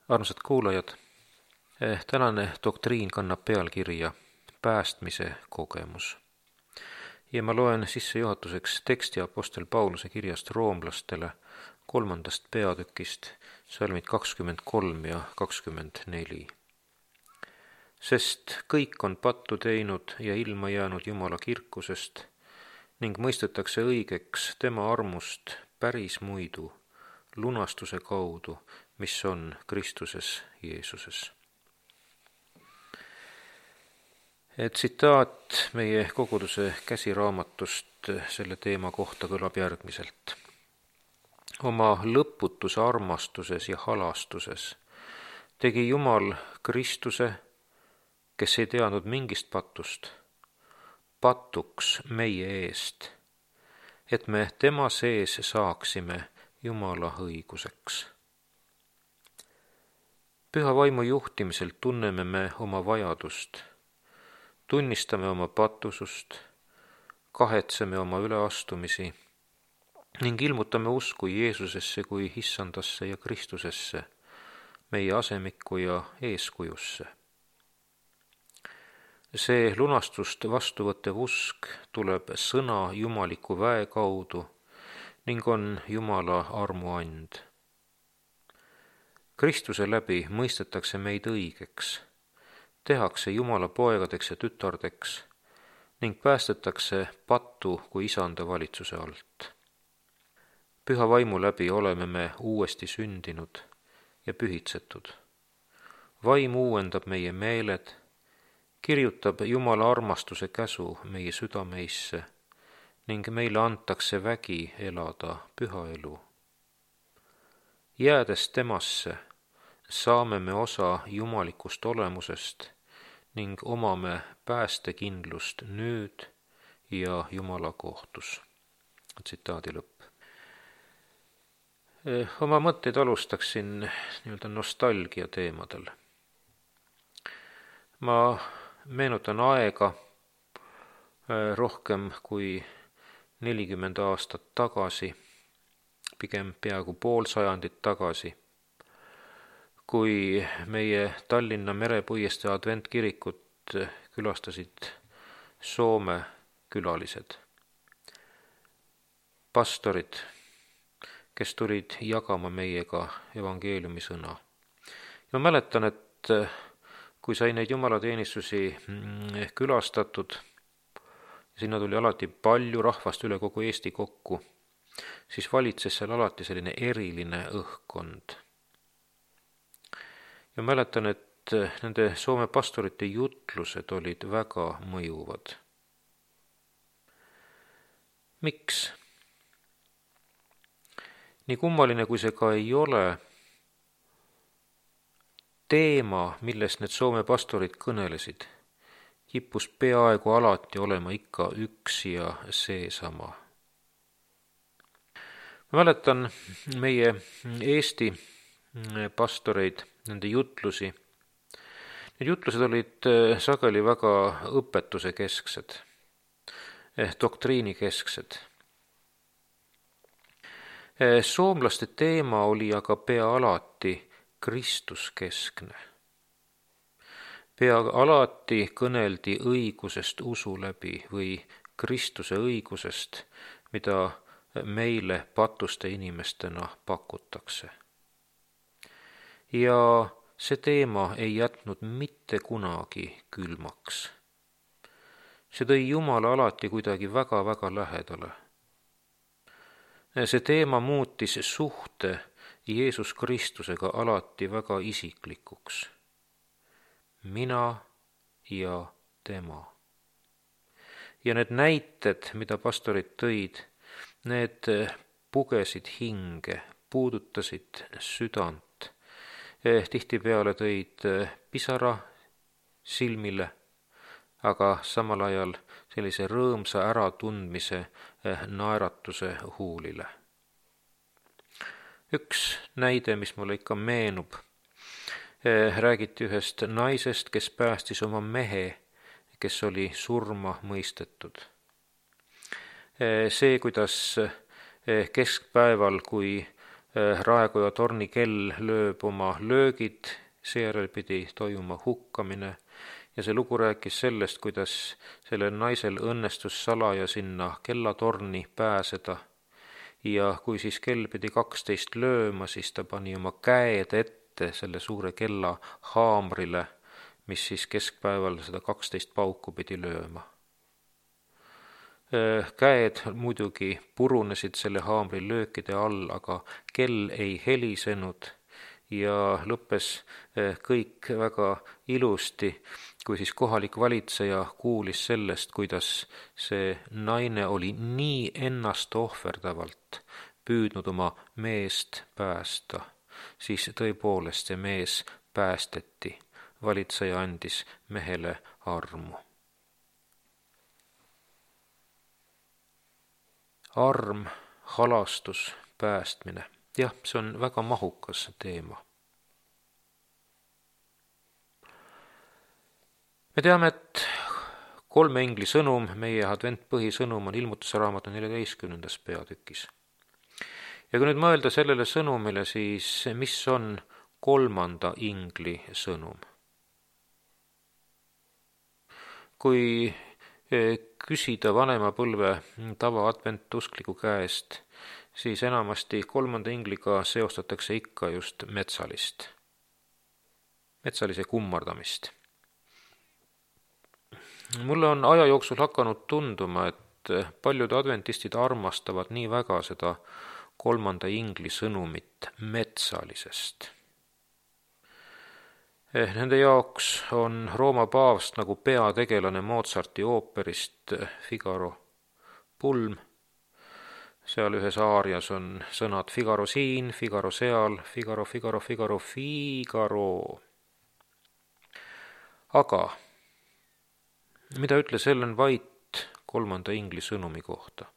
Armsad kuulajad, tänane doktriin kannab pealkirja Päästmise kogemus. Ja ma loen sissejuhatuseks teksti Apostel Pauluse kirjast roomlastele 3. peatükist, salmid 23 ja 24. Sest kõik on pattu teinud ja ilma jäänud Jumala kirkusest ning mõistetakse õigeks tema armust päris muidu, lunastuse kaudu, mis on Kristuses Jeesuses. Tsitaat meie koguduse käsiraamatust selle teema kohta kõlab järgmiselt. Oma lõputus armastuses ja halastuses tegi Jumal Kristuse, kes ei teadnud mingist patust, patuks meie eest, et me tema sees saaksime Jumala õiguseks. Püha vaimu juhtimisel tunneme me oma vajadust, tunnistame oma patusust, kahetseme oma üleastumisi ning ilmutame usku Jeesusesse kui Issandasse ja Kristusesse, meie asemikku ja eeskujusse. See lunastust vastuvõttev usk tuleb sõna jumaliku väe kaudu ning on Jumala armuand. Kristuse läbi mõistetakse meid õigeks, tehakse Jumala poegadeks ja tütardeks ning päästetakse pattu kui isanda valitsuse alt. Püha vaimu läbi oleme me uuesti sündinud ja pühitsetud. Vaim uuendab meie meeled, kirjutab Jumala armastuse käsu meie südameisse ning meile antakse vägi elada püha elu. Jäädes temasse, saame me osa jumalikust olemusest ning omame päästekindlust nüüd ja Jumala kohtus. Tsitaadi lõpp. Oma mõtteid alustaksin nostalgia teemadel. Ma meenutan aega rohkem kui 40 aastat tagasi, pigem peaaegu pool sajandit tagasi, kui meie Tallinna Merepuiestee adventkirikut külastasid Soome külalised, pastorid, kes tulid jagama meiega evangeeliumi sõna. Ja mäletan, et kui sai neid jumalateenistusi külastatud, sinna tuli alati palju rahvast üle kogu Eesti kokku, siis valitses seal alati selline eriline õhkkond. Ja mäletan, et nende Soome pastorite jutlused olid väga mõjuvad. Miks? Nii kummaline kui see ka ei ole, teema, millest need Soome pastorid kõnelesid, kippus peaaegu alati olema ikka üks ja seesama. Ma mäletan meie Eesti pastoreid, nende jutlusi. Need jutlused olid sageli väga õpetuse kesksed, doktriini kesksed. Soomlaste teema oli aga pea alati Kristuskeskne. Pea alati kõneldi õigusest usu läbi või Kristuse õigusest, mida meile patuste inimestena pakutakse. Ja see teema ei jätnud mitte kunagi külmaks. See tõi Jumala alati kuidagi väga-väga lähedale. See teema muutis suhte Jeesus Kristusega alati väga isiklikuks. Mina ja tema. Ja need näited, mida pastorid tõid, need pugesid hinge, puudutasid südant. Tihtipeale tõid pisara silmile, aga samal ajal sellise rõõmsa äratundmise naeratuse huulile. Üks näide, mis mulle ikka meenub, räägiti ühest naisest, kes päästis oma mehe, kes oli surma mõistetud. See, kuidas keskpäeval, kui raekoja torni kell lööb oma löögid, seejärel pidi toimuma hukkamine ja see lugu rääkis sellest, kuidas sellel naisel õnnestus salaja sinna kellatorni pääseda ja kui siis kell pidi 12 lööma, siis ta pani oma käed ette selle suure kella haamrile, mis siis keskpäeval seda 12 pauku pidi lööma. Käed muidugi purunesid selle haamri löökide all, aga kell ei helisenud ja lõppes kõik väga ilusti, kui siis kohalik valitseja kuulis sellest, kuidas see naine oli nii ennast ohverdavalt püüdnud oma meest päästa, siis tõepoolest see mees päästeti. Valitseja andis mehele armu. Arm, halastus, päästmine. Jah, see on väga mahukas teema. Me teame, et 3 ingli sõnum, meie adventpõhisõnum on Ilmutuse raamatu 14. peatükis. Ja kui nüüd mõelda sellele sõnumile, siis mis on 3. ingli sõnum? Kui küsida vanema põlve tavaadventuskliku käest, siis enamasti 3. ingliga seostatakse ikka just metsalist, metsalise kummardamist. Mulle on aja jooksul hakanud tunduma, et paljud adventistid armastavad nii väga seda 3. ingli sõnumit metsalisest. Nende jaoks on Rooma paavst nagu peategelane Mozarti ooperist Figaro pulm. Seal ühes aarias on sõnad Figaro siin, Figaro seal, Figaro, Figaro, Figaro, Figaro. Aga mida ütles Ellen White 3. ingli sõnumi kohta?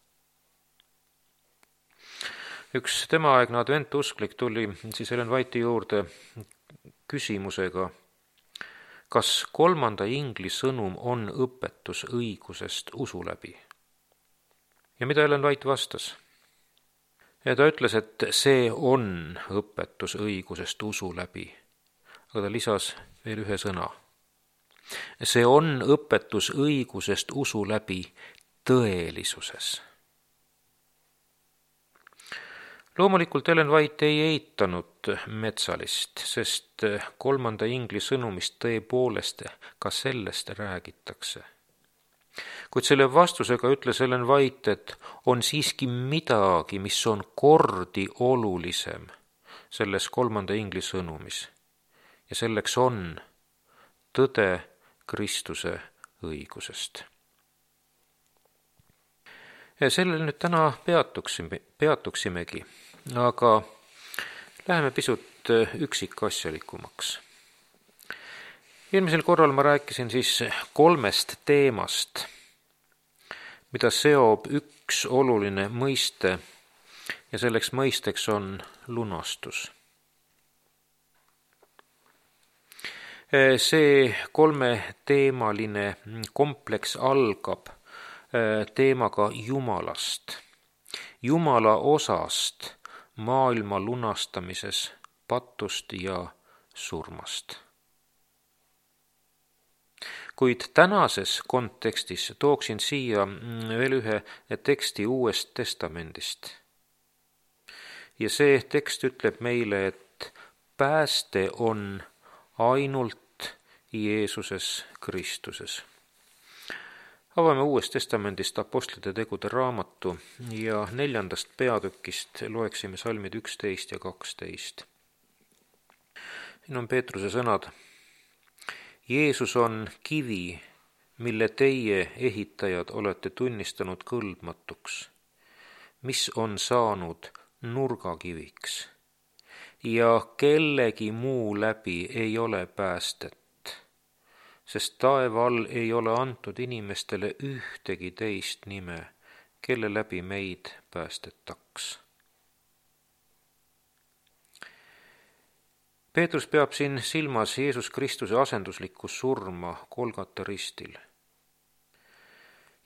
Üks temaaegne adventusklik tuli siis Ellen White'i juurde küsimusega, kas 3. ingli sõnum on õpetus õigusest usu läbi. Ja mida Ellen White vastas? Ja ta ütles, et see on õpetus õigusest usu läbi, aga ta lisas veel ühe sõna. See on õpetus õigusest usu läbi tõelisuses. Loomulikult Ellen White ei eitanud metsalist, sest 3. ingli sõnumist tõepoolest ka sellest räägitakse. Kuid selle vastusega ütles Ellen White, et on siiski midagi, mis on kordi olulisem selles 3. ingli sõnumis. Ja selleks on tõde Kristuse õigusest. Ja sellel nüüd täna peatuksimegi, aga läheme pisut üksikasjalikumaks. Eelmisel korral ma rääkisin siis 3 teemast, mida seob üks oluline mõiste ja selleks mõisteks on lunastus. See 3-teemaline kompleks algab teemaga Jumalast, Jumala osast maailma lunastamises, patust ja surmast. Kuid tänases kontekstis tooksin siia veel ühe teksti Uuest Testamendist. Ja see tekst ütleb meile, et pääste on ainult Jeesuses Kristuses. Avame Uuest Testamendist Apostlite tegude raamatu ja 4. peatükist loeksime salmid 11 ja 12. Siin on Peetruse sõnad. Jeesus on kivi, mille teie ehitajad olete tunnistanud kõlbmatuks, mis on saanud nurgakiviks ja kellegi muu läbi ei ole päästet. Sest taeva all ei ole antud inimestele ühtegi teist nime, kelle läbi meid päästetaks. Peetrus peab siin silmas Jeesus Kristuse asenduslikku surma Golgata ristil.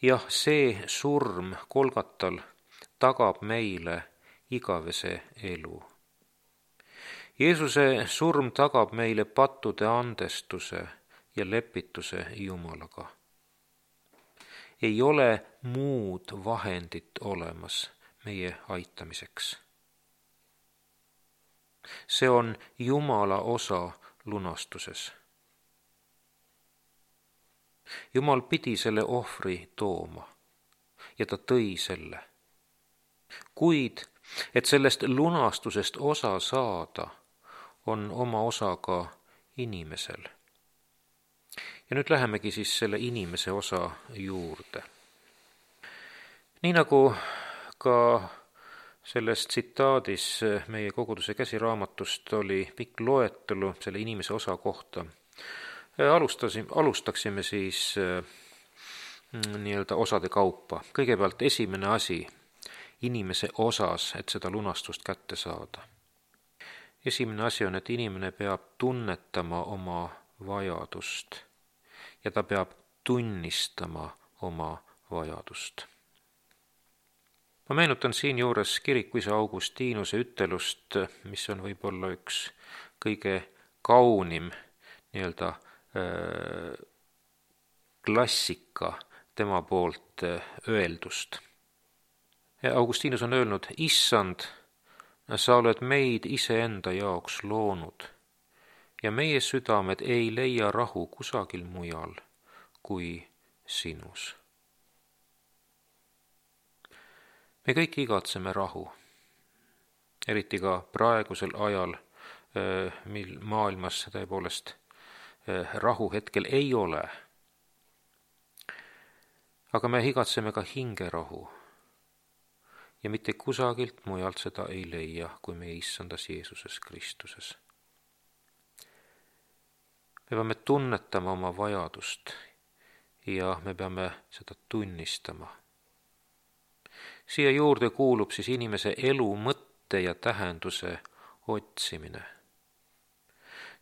Jah, see surm Golgatal tagab meile igavese elu. Jeesuse surm tagab meile pattude andestuse ja lepituse Jumalaga. Ei ole muud vahendit olemas meie aitamiseks. See on Jumala osa lunastuses. Jumal pidi selle ohvri tooma ja ta tõi selle. Kuid, et sellest lunastusest osa saada, on oma osa ka inimesel. Ja nüüd lähemegi siis selle inimese osa juurde. Nii nagu ka selles tsitaadis meie koguduse käsiraamatust oli pikk loetelu selle inimese osa kohta, alustaksime siis nii-öelda osade kaupa. Kõigepealt esimene asi inimese osas, et seda lunastust kätte saada. Esimene asi on, et inimene peab tunnetama oma vajadust ja ta peab tunnistama oma vajadust. Ma meenutan siinjuures kirikuisa Augustinuse ütelust, mis on võib-olla üks kõige kaunim nii-öelda klassika tema poolt öeldust. Augustinus on öelnud: Issand, sa oled meid iseenda jaoks loonud ja meie südamed ei leia rahu kusagil mujal kui sinus. Me kõik igatseme rahu, eriti ka praegusel ajal, mil maailmas tõepoolest rahu hetkel ei ole. Aga me igatseme ka hingerahu ja mitte kusagilt mujalt seda ei leia kui meie Issandas Jeesuses Kristuses. Me peame tunnetama oma vajadust ja me peame seda tunnistama. Siia juurde kuulub siis inimese elu mõtte ja tähenduse otsimine.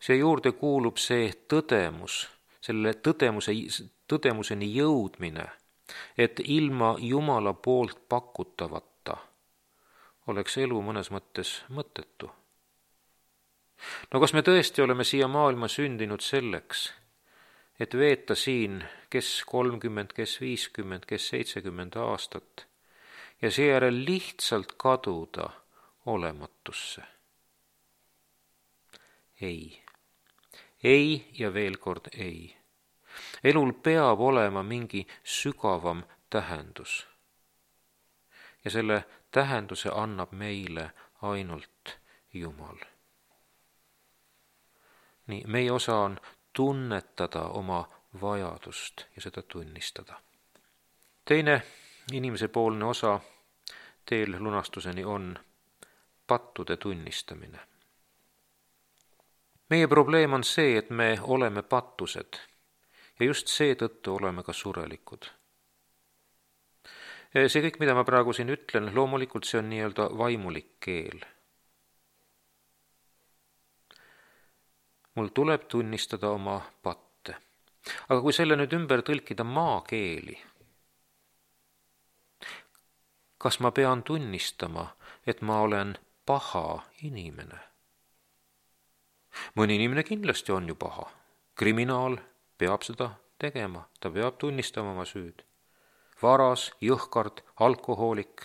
Siia juurde kuulub see tõdemus, selle tõdemuseni jõudmine, et ilma Jumala poolt pakutavata oleks elu mõnes mõttes mõttetu. No kas me tõesti oleme siia maailma sündinud selleks, et veeta siin kes 30, kes 50, kes 70 aastat ja seejärel lihtsalt kaduda olematusse? Ei ja veel kord ei. Elul peab olema mingi sügavam tähendus. Ja selle tähenduse annab meile ainult Jumal. Nii, meie osa on tunnetada oma vajadust ja seda tunnistada. Teine inimesepoolne osa teel lunastuseni on pattude tunnistamine. Meie probleem on see, et me oleme pattused ja just seetõttu oleme ka surelikud. See kõik, mida ma praegu siin ütlen, loomulikult see on nii-öelda vaimulik keel. Mul tuleb tunnistada oma patte. Aga kui selle nüüd ümber tõlkida maakeeli, kas ma pean tunnistama, et ma olen paha inimene? Mõni inimene kindlasti on ju paha. Kriminaal peab seda tegema, ta peab tunnistama oma süüd. Varas, jõhkard, alkohoolik.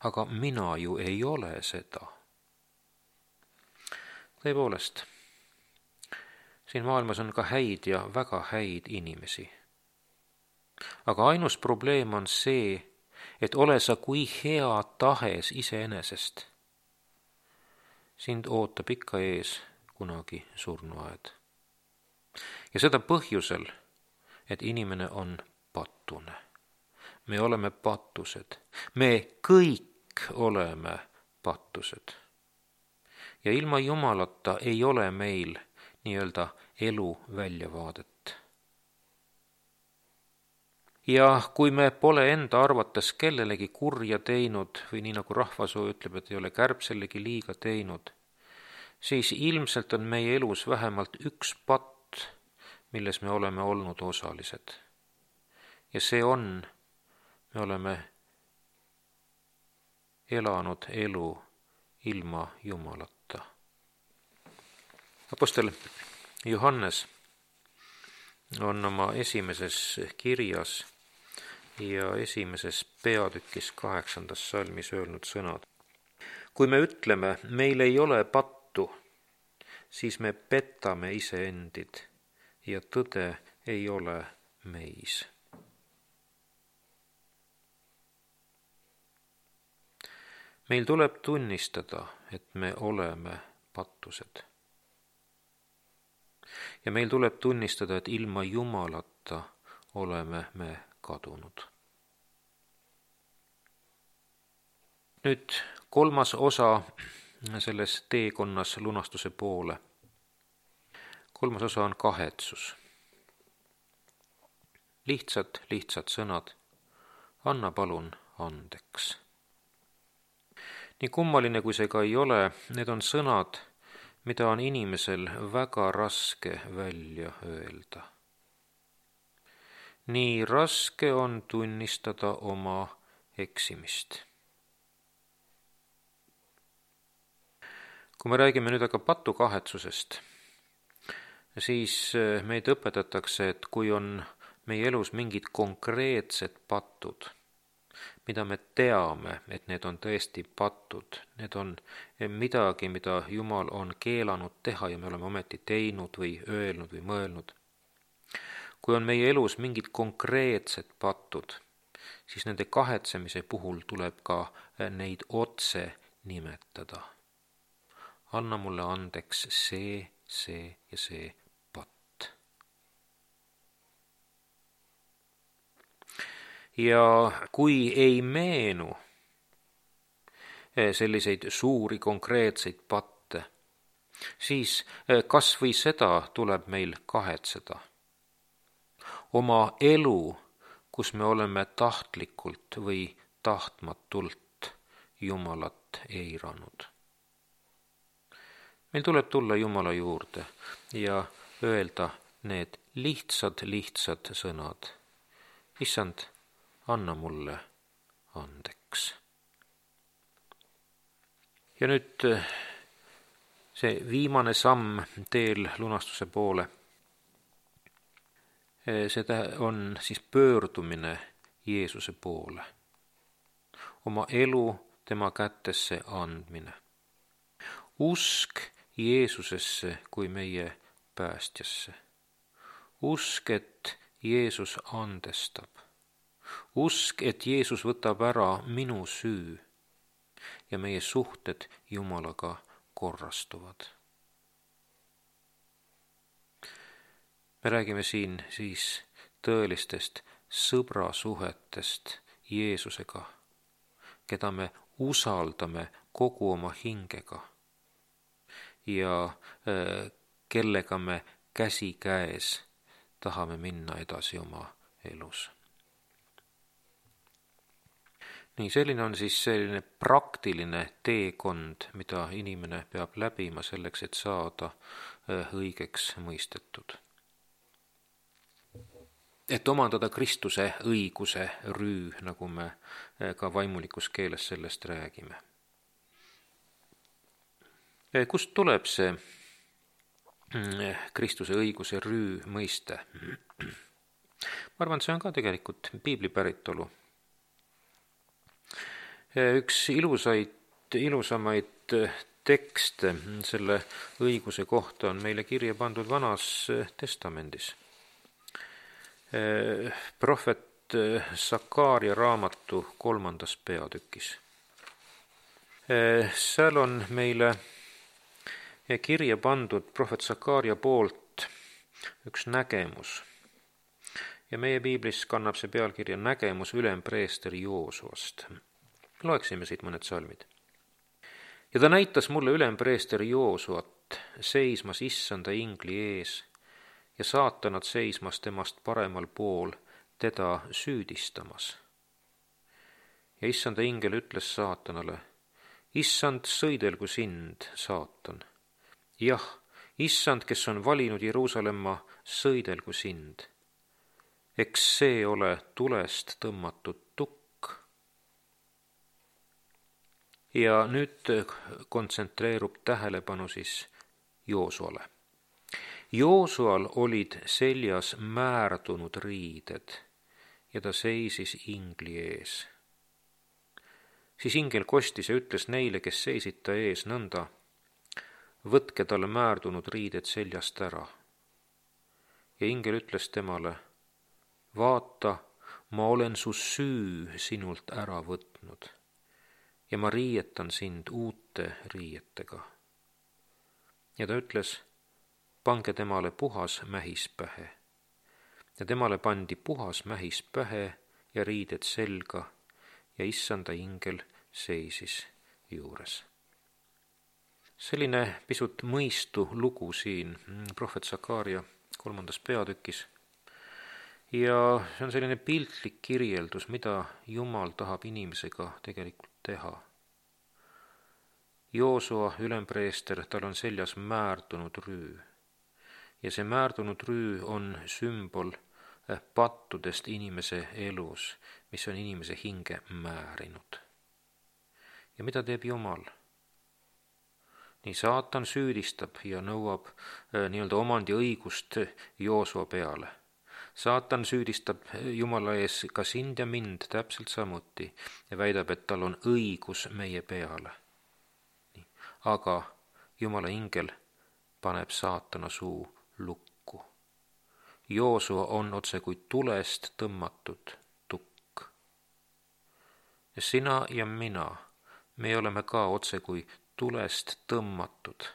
Aga mina ju ei ole seda. Tõepoolest, siin maailmas on ka häid ja väga häid inimesi. Aga ainus probleem on see, et ole sa kui hea tahes iseenesest. Sind ootab ikka ees kunagi surnuaed. Ja seda põhjusel, et inimene on pattune. Me oleme pattused. Me kõik oleme pattused. Ja ilma Jumalata ei ole meil nii-öelda elu väljavaadet. Ja kui me pole enda arvates kellelegi kurja teinud või nii nagu rahvasoo ütleb, et ei ole kärbsellegi liiga teinud, siis ilmselt on meie elus vähemalt üks patt, milles me oleme olnud osalised. Ja see on, me oleme elanud elu ilma Jumalata. Apostel Johannes on oma esimeses kirjas ja esimeses peatükis 8. salmis öelnud sõnad. Kui me ütleme, meil ei ole pattu, siis me petame iseendid ja tõde ei ole meis. Meil tuleb tunnistada, et me oleme pattused. Ja meil tuleb tunnistada, et ilma Jumalata oleme me kadunud. Nüüd 3. osa selles teekonnas lunastuse poole. 3. osa on kahetsus. Lihtsad sõnad. Anna palun andeks. Nii kummaline kui see ka ei ole, need on sõnad, mida on inimesel väga raske välja öelda. Nii raske on tunnistada oma eksimist. Kui me räägime nüüd aga patukahetsusest, siis meid õpetatakse, et kui on meie elus mingid konkreetsed patud, mida me teame, et need on tõesti patud, need on midagi, mida Jumal on keelanud teha ja me oleme ometi teinud või öelnud või mõelnud. Kui on meie elus mingid konkreetsed patud, siis nende kahetsemise puhul tuleb ka neid otse nimetada. Anna mulle andeks see ja see patt. Ja kui ei meenu selliseid suuri konkreetseid patte, siis kas või seda tuleb meil kahetseda. Oma elu, kus me oleme tahtlikult või tahtmatult Jumalat eiranud. Meil tuleb tulla Jumala juurde ja öelda need lihtsad sõnad. Issand, anna mulle andeks. Ja nüüd see viimane samm teel lunastuse poole. Seda on siis pöördumine Jeesuse poole. Oma elu tema kätesse andmine. Usk Jeesusesse kui meie päästjasse. Usk, et Jeesus andestab. Usk, et Jeesus võtab ära minu süü ja meie suhted Jumalaga korrastuvad. Me räägime siin siis tõelistest sõbrasuhetest Jeesusega, keda me usaldame kogu oma hingega ja kellega me käsikäes tahame minna edasi oma elus. Nii, selline on siis selline praktiline teekond, mida inimene peab läbima selleks, et saada õigeks mõistetud. Et omandada Kristuse õiguse rüü, nagu me ka vaimulikus keeles sellest räägime. Kust tuleb see Kristuse õiguse rüü mõiste? Ma arvan, see on ka tegelikult piibli päritolu. Üks ilusamaid tekste selle õiguse kohta on meile kirja pandud Vanas Testamendis. Prohvet Sakaaria raamatu 3. peatükis. Seal on meile kirja pandud prohvet Sakaaria poolt üks nägemus. Ja meie piiblis kannab see pealkirja nägemus ülempreesteri Joosuast. Loeksime siit mõned salmid. Ja ta näitas mulle ülempreesteri Joosuat seismas issanda ingli ees ja saatanad seismas temast paremal pool teda süüdistamas. Ja issanda ingel ütles saatanale, issand, sõidelgu sind, saatan. Jah, issand, kes on valinud Jeruusalemma, sõidelgu sind. Eks see ole tulest tõmmatud tukk. Ja nüüd kontsentreerub tähelepanu siis Joosuale. Joosual olid seljas määrdunud riided ja ta seisis ingli ees. Siis ingel kostis ja ütles neile, kes seisid ta ees nõnda: võtke talle määrdunud riided seljast ära. Ja ingel ütles temale: vaata, ma olen su süü sinult ära võtnud ja ma riietan sind uute riietega. Ja ta ütles: pange temale puhas mähis pähe. Ja temale pandi puhas mähis pähe ja riided selga ja issanda ingel seisis juures. Selline pisut mõistu lugu siin prohvet Sakaaria 3. peatükis. Ja see on selline piltlik kirjeldus, mida Jumal tahab inimesega tegelikult teha. Joosua ülempreester, tal on seljas määrdunud rüü. Ja see määrdunud rüü on sümbol pattudest inimese elus, mis on inimese hinge määrinud. Ja mida teeb Jumal? Nii saatan süüdistab ja nõuab nii-öelda omandiõigust Joosua peale. Saatan süüdistab Jumala ees ka sind ja mind täpselt samuti ja väidab, et tal on õigus meie peale. Aga Jumala ingel paneb saatana suu lukku. Joosua on otse kui tulest tõmmatud tukk. Ja sina ja mina, me oleme ka otse kui tulest tõmmatud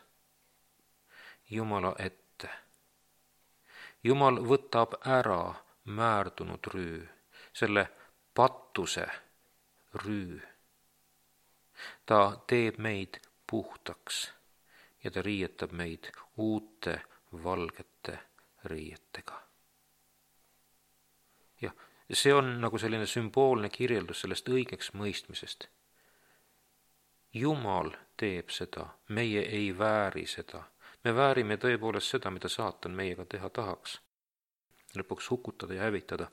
Jumala ette. Jumal võtab ära määrdunud rüü, selle pattuse rüü. Ta teeb meid puhtaks ja ta riietab meid uute valgete riietega. Ja see on nagu selline sümboolne kirjeldus sellest õigeks mõistmisest. Jumal teeb seda, meie ei vääri seda. Me väärime tõepoolest seda, mida saatan meiega teha tahaks. Lõpuks hukutada ja hävitada.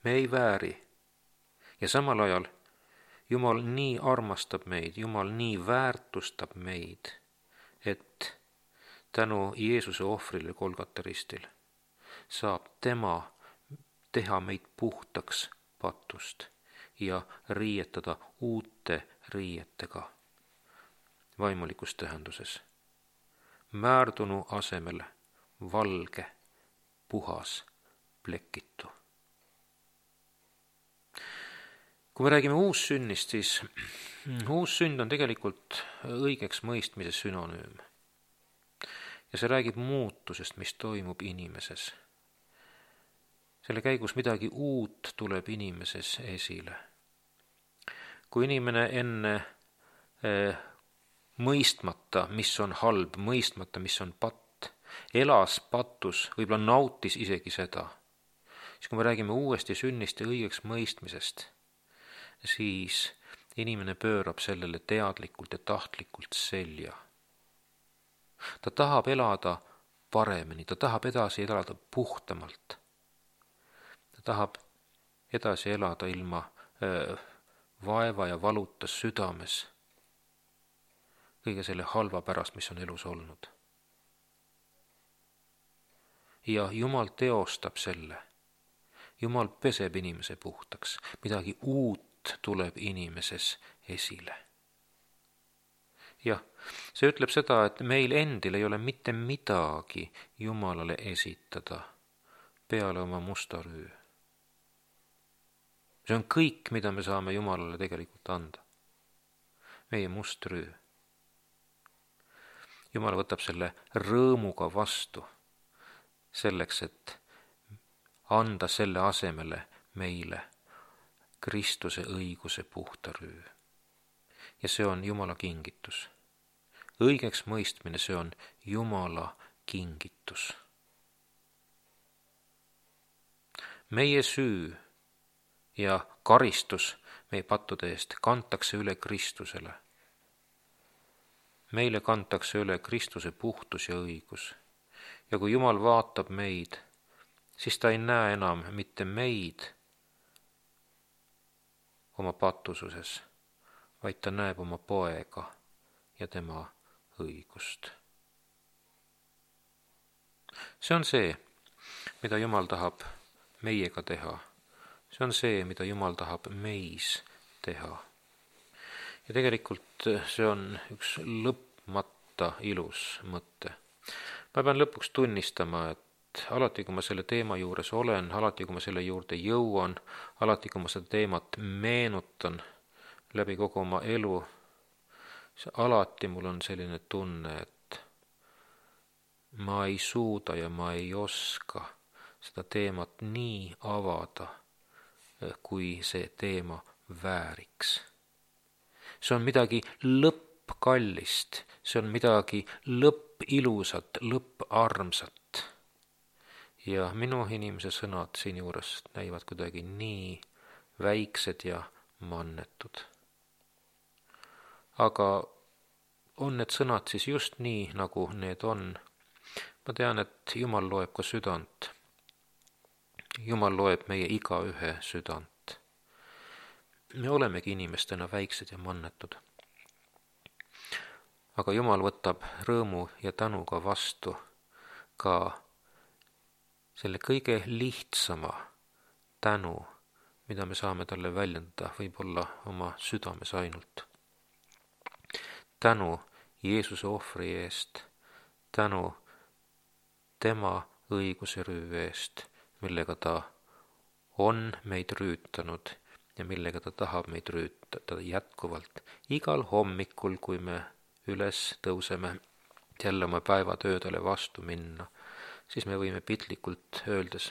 Me ei vääri. Ja samal ajal Jumal nii armastab meid, Jumal nii väärtustab meid, et tänu Jeesuse ohvrile Golgata ristil saab tema teha meid puhtaks patust ja riietada uute riietega vaimulikus tähenduses. Määrdunu asemel valge, puhas, plekitu. Kui me räägime uussünnist, siis uussünd on tegelikult õigeks mõistmise sünonüüm. Ja see räägib muutusest, mis toimub inimeses. Selle käigus midagi uut tuleb inimeses esile. Kui inimene enne mõistmata, mis on halb, mõistmata, mis on patt, elas patus, võib-olla nautis isegi seda, siis kui me räägime uuesti sünnist ja õigeks mõistmisest, siis inimene pöörab sellele teadlikult ja tahtlikult selja. Ta tahab elada paremini, ta tahab edasi elada puhtamalt. Ta tahab edasi elada ilma vaeva ja valuta südames kõige selle halva pärast, mis on elus olnud. Ja Jumal teostab selle. Jumal peseb inimese puhtaks. Midagi uut tuleb inimeses esile. Jah, see ütleb seda, et meil endil ei ole mitte midagi Jumalale esitada peale oma musta rüü. See on kõik, mida me saame Jumalale tegelikult anda. Meie must rüü. Jumal võtab selle rõõmuga vastu selleks, et anda selle asemele meile Kristuse õiguse puhta rüü. Ja see on Jumala kingitus. Õigeks mõistmine, see on Jumala kingitus. Meie süü ja karistus meie pattude eest kantakse üle Kristusele. Meile kantakse üle Kristuse puhtus ja õigus. Ja kui Jumal vaatab meid, siis ta ei näe enam mitte meid oma pattususes, vaid ta näeb oma poega ja tema õigust. See on see, mida Jumal tahab meiega teha. See on see, mida Jumal tahab meis teha. Ja tegelikult see on üks lõpmata ilus mõte. Ma pean lõpuks tunnistama, et alati, kui ma selle teema juures olen, alati, kui ma selle juurde jõuan, alati, kui ma seda teemat meenutan läbi kogu oma elu, alati mul on selline tunne, et ma ei suuda ja ma ei oska seda teemat nii avada, kui see teema vääriks. See on midagi lõppkallist, see on midagi lõppilusat, lõpparmsat. Ja minu inimese sõnad siin juures näivad kuidagi nii väiksed ja mannetud. Aga on need sõnad siis just nii, nagu need on? Ma tean, et Jumal loeb ka südant. Jumal loeb meie igaühe südant. Me olemegi inimestena väiksed ja mannetud. Aga Jumal võtab rõõmu ja tänuga vastu ka selle kõige lihtsama tänu, mida me saame talle väljendada, võib-olla oma südames ainult. Tänu Jeesuse ohvri eest, tänu tema õiguse rüü eest, millega ta on meid rüütanud ja millega ta tahab meid rüütada jätkuvalt. Igal hommikul, kui me üles tõuseme jälle oma päevatöödele vastu minna, siis me võime piltlikult öeldes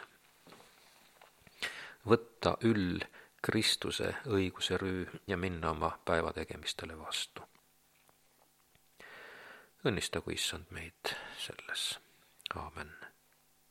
võtta üll Kristuse õiguse rüü ja minna oma päevategemistele vastu. Õnnistagu Issand meid selles. Aamen.